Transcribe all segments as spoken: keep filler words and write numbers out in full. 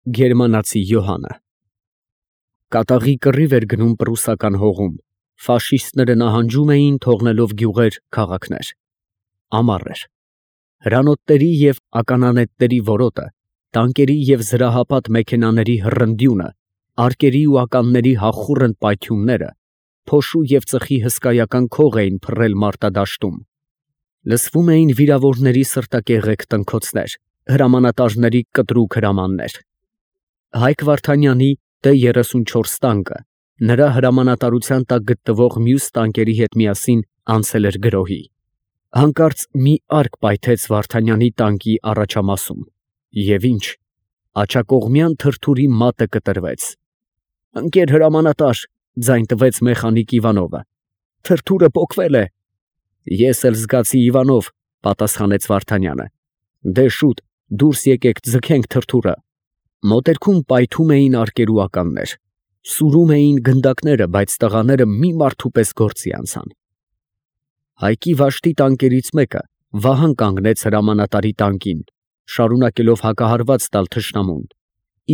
Գերմանացի Յոհանը Կատաղի կռիվ էր գնում պրուսական հողում, ֆաշիստները նահանջում էին, թողնելով գյուղեր, քաղաքներ. ամառ էր, հրանոթների և ականանետերի որոտը, տանկերի և զրահապատ մեքենաների հռնդյունը, արկերի ու ականների հախուռն պայթյունները, փոշու և ծխի հսկայական քող էին փռել մարտադաշտում, լսվում էին վիրավորների սրտակեղեկ տնքոցներ, հրամանատարների կտրուկ հրամաններ. Հայկ Վարդանյանի Տ երեսունչորս տանկը նրա հրամանատարության տակ գտնվող մյուս տանկերի հետ միասին անցել էր գրոհի. հանկարծ մի արկ պայթեց Վարդանյանի տանկի առաջամասում, և ինչ, աջակողմյան թրթուրի մատը կտրվեց։ «Ընկեր հրամանատար», ձայն տվեց մեխանիկ Իվանովը, «թրթուրը պոկվել է»։ «Ես էլ զգացի, Իվանով», պատասխանեց Վարդանյանը, «դե շուտ, դուրս եկեք, ձգենք թրթուրը»։ Մոտերքում պայթում էին արկեր ու ականներ, սուրում էին գնդակները, բայց տղաները մի մարդու պես գործի անցան։ Հայկի վաշտի տանկերից մեկը Վահան կանգնեց հրամանատարի տանկին, շարունակելով հակահարված տալ թշնամուն,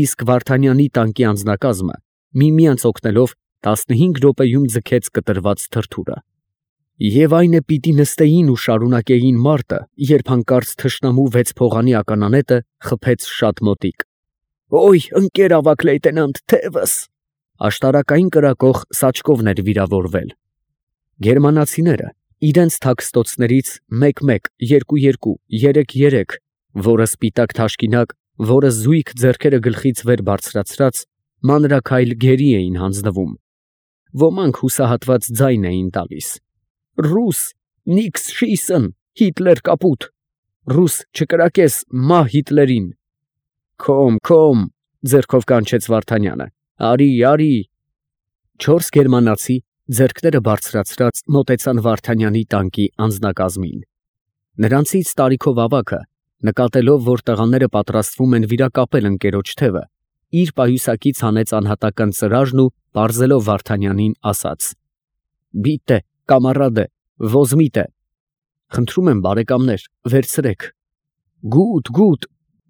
իսկ Վարդանյանի տանկի անձնակազմը միմյանց օգնելով տասնհինգ րոպեում ձգեց կտրված թրթուրը։ Եվ այն է պիտի նստեին ու շարունակեին մարտը, երբ հանկարծ թշնամու վեց փողանի ականանետը խփեց շատ մոտիկ։ «Օյ, ընկեր ավագ լեյտենանտ, թևս»։ Աշտարակային կրակող Սաչկովն էր վիրավորվել։ Գերմանացիները իրենց թաքստոցներից մեկ֊մեկ, երկու֊երկու, երեք֊երեք, որը սպիտակ թաշկինակ, որը զույգ ձեռքերը գլխից վեր բարձրացրած, մանրաքայլ գերի էին հանձնվում։ Ոմանք հուսահատված ձայն էին տալիս. «Ռուս, նիքս շիսըն, Հիտլեր կապուտ, ռուս չկրակես, մահ Հիտլերին»։ «Քոմ, քոմ», ձեռքով կանչեց Վարդանյանը, «արի, արի»։ Չորս գերմանացի, ձեռքները բարձրացրած, մոտեցան Վարդանյանի տանկի անձնակազմին։ Նրանցից տարիքով ավագը, նկատելով, որ տղաները պատրաստվում են վիրակապել ընկերոջ թևը, իր պայուսակից հանեց անհատական ծրարն ու պարզելով Վարդանյանին ասաց. «Բիտե, կամարադե, ոզմիտե, խնդրում եմ բարեկամներ, վերցրեք»։ «Գուտ, գուտ,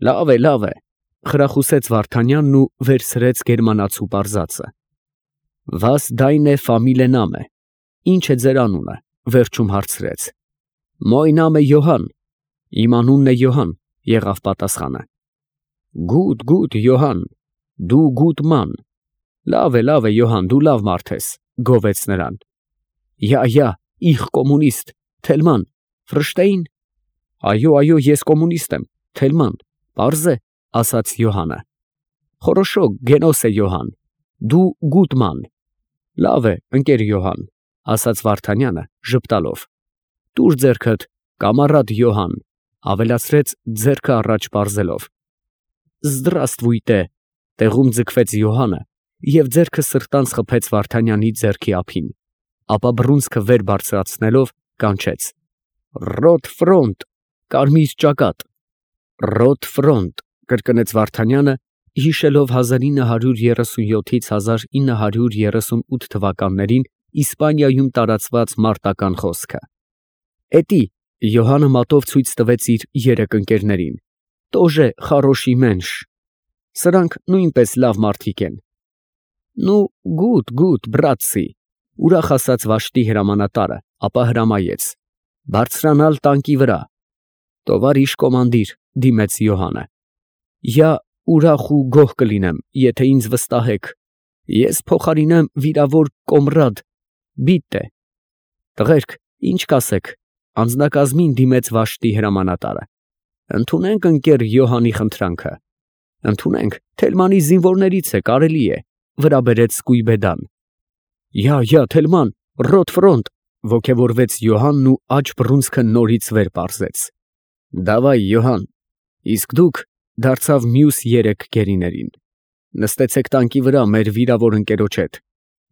լավ է, լավ է», խրախուսեց Վարդանյանն ու վերցրեց գերմանացու պարզածը։ «Վաս դայնե ֆամիլե նամե, ի՞նչ է ձեր անունը», վերջում հարցրեց։ «Մոյ նամե Յոհան, իմ անունն է Յոհան», եղավ պատասխանը։ «Գուտ, գուտ, Յոհան, դու գուտ ման, լավ է, լավ է, Յոհան, դու լավ մարդ ես», գովեց նրան։ «Յա, յա, իխ կոմունիստ, Թելման, ֆրշտեին»։ «Այո, այո, ես կոմունիստ եմ, Թելման, պարզ է», ասաց Յոհանը։ «Խորոշո, գենոս է Յոհան, դու գուտ ման, լավ է, ընկեր Յոհան», ասաց Վարդանյանը ժպտալով։ «Տուր ձեռքդ, կամարադ Յոհան», ավելացրեց ձեռքը առաջ պարզելով։ «Զդրաստվույտե», տեղում ձգվեց Յոհանը և ձեռքը սրտանց խփեց Վարդանյանի ձեռքի ափին, ապա բռունցքը վեր բարձրացնելով կանչեց. «Ռոտ ֆրոնտ, կարմիր ճակատ»։ «Ռոտ ֆրոնտ», կրկնեց Վարդանյանը, հիշելով հազար ինը հարյուր երեսունյոթից հազար ինը հարյուր երեսունութ թվականներին Իսպանիայում տարածված մարտական խոսքը։ «Էտի», Յոհանը մատով ցույց տվեց իր երեք ընկերներին, «տոժե խարոշի մենշ, սրանք նույնպես լավ մարդիկ են»։ «Նու, գուտ, գուտ, բրատցի», ուրախ ասաց վաշտի հրամանատարը, ապա հրամայեց. «Բարձրանալ տանկի վրա»։ «Տովարիշ կոմանդիր», դիմեց Յոհանը, «յա ուրախ ու գոհ կլինեմ, եթե ինձ վստահեք, ես փոխարինեմ վիրավոր կոմռադ, բիտե»։ «Տղերք, ինչ կասեք», անձնակազմին դիմեց վաշտի հրամանատարը։ «Ընդունենք ընկեր Յոհանի խնդրանքը»։ «Ընդունենք, Թելմանի զինվորներից է, կարելի է», վրա բերեց Սկույբեդան։ «Յա, յա, Թելման, ռոտ ֆրոնտ», ոգևորվեց Յոհանն ու աջ բռունցքը նորից վեր պարզեց։ «Դավայ, Յոհան, իսկ դուք», դարձավ մյուս երեք գերիներին, «նստեցեք տանկի վրա մեր վիրավոր ընկերոջ հետ,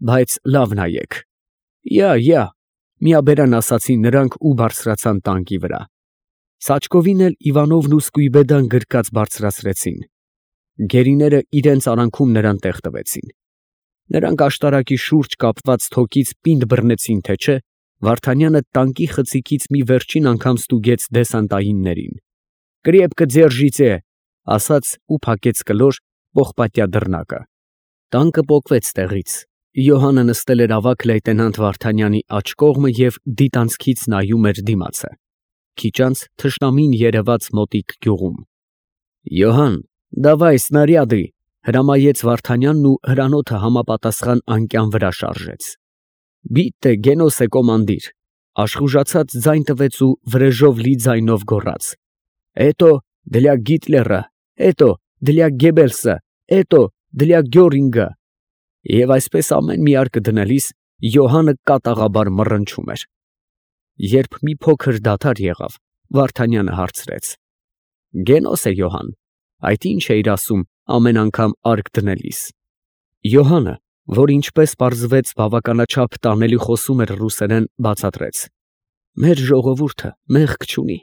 բայց լավ նայեք»։ «Յա, յա», միաբերան ասացին նրանք ու բարձրացան տանկի վրա։ Սաչկովին էլ Իվանովն ու Սկույբեդան գրկած բարձրացրեցին։ Գերիները իրենց արանքում նրան տեղ տվեցին։ Նրանք աշտարակի շուրջ կապված թոկից պինդ բռնեցին, թե չէ, Վարդանյանը տանկի խցիկից մի վերջին անգամ ստուգեց դեսանտայիններին։ «Կրեպկը ձերժիցե», ասաց ու փակեց կլոր, պողպատյա դռնակը։ Տանկը պոկվեց տեղից։ Յոհանը նստել էր ավագ լեյտենանտ Վարդանյանի աջ կողմը և դիտանցքից նայում էր դիմացը։ Քիչ անց թշնամին երևաց մոտիկ գյուղում։ «Յոհան, դավայ, սնարյադի», հրամայեց Վարդանյանն ու հրանոթը համապատասխան անկյան վրա շարժեց։ «Բիտտե, գենոս է կոմանդիր», աշխուժացած ձայն տվեց ու վրեժով լի ձայնով գոռաց. «Էտո, դլյա Գիտլերը, էտո, դլյա Գեբելսը, էտո, դլյա Գյորինգը»։ Եվ այսպես ամեն մի արկը դնելիս Յոհանը կատաղաբար մռնչում էր։ Երբ մի փոքր դադար եղավ, Վարդանյանը հարցրեց. «Գենոս է, Յոհան, այդ ի՞նչ էիր ասում ամեն անգամ արկ դնելիս»։ Յոհանը, որ ինչպես պարզվեց բավականաչափ տանելի խոսում էր ռուսերեն, բացատրեց. «Մեր ժողովուրդը մեղք չունի.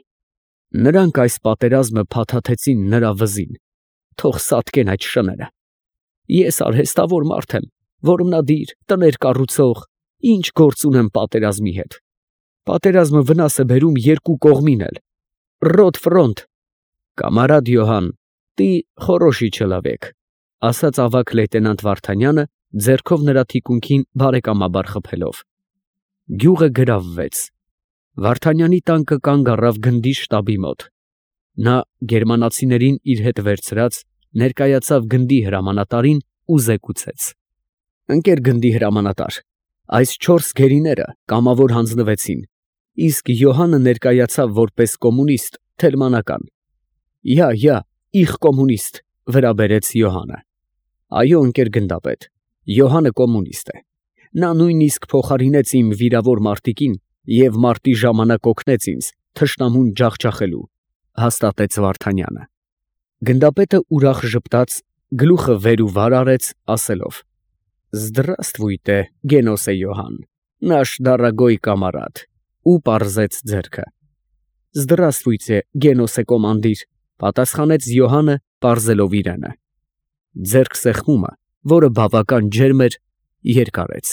նրանք այս պատերազմը փաթաթեցին նրա վզին, թող սատկեն այդ շները։ Ես արհեստավոր մարդ եմ, որմնադիր, տներ կառուցող, ինչ գործ ունեմ պատերազմի հետ։ Պատերազմը վնաս է բերում երկու կողմին էլ։ Ռոտ ֆրոնտ»։ «Կամարադ Յոհան, տի խորոշի չլավեք», ասաց ավագ լեյտենանտ Վարդանյանը, ձեռքով նրա թիկունքին բարեկամաբար խփելով։ Գյուղը գրավվեց։ Վարդանյանի տանկը կանգ առավ գնդի շտաբի մոտ։ Նա, գերմանացիներին իր հետ վերցրած, ներկայացավ գնդի հրամանատարին ու զեկուցեց. «Ընկեր գնդի հրամանատար, այս չորս գերիները կամավոր հանձնվեցին, իսկ Յոհանը ներկայացավ որպես կոմունիստ թելմանական»։ «Յա, յա, իխ կոմունիստ», վրա բերեց Յոհանը։ «Այո, ընկեր գնդապետ, Յոհանը կոմունիստ է։ Նա նույնիսկ փոխարինեց իմ վիրավոր մարտիկին և մարտի ժամանակ օգնեց ինձ թշնամուն ջախջախելու», հաստատեց Վարդանյանը։ Գնդապետը ուրախ ժպտաց, գլուխը վեր ու վար արեց, ասելով. «Զդրաստվույտե, Գենոսե Յոհան, նաշ դարագոյ կամարադ», ու պարզեց ձեռքը։ «Զդրաստվույտե, Գենոսե կոմանդիր», պատասխանեց Յոհանը, պարզելով իրանը։ Ձեռքսեղմումը, որը բավական ջերմ էր, երկարեց։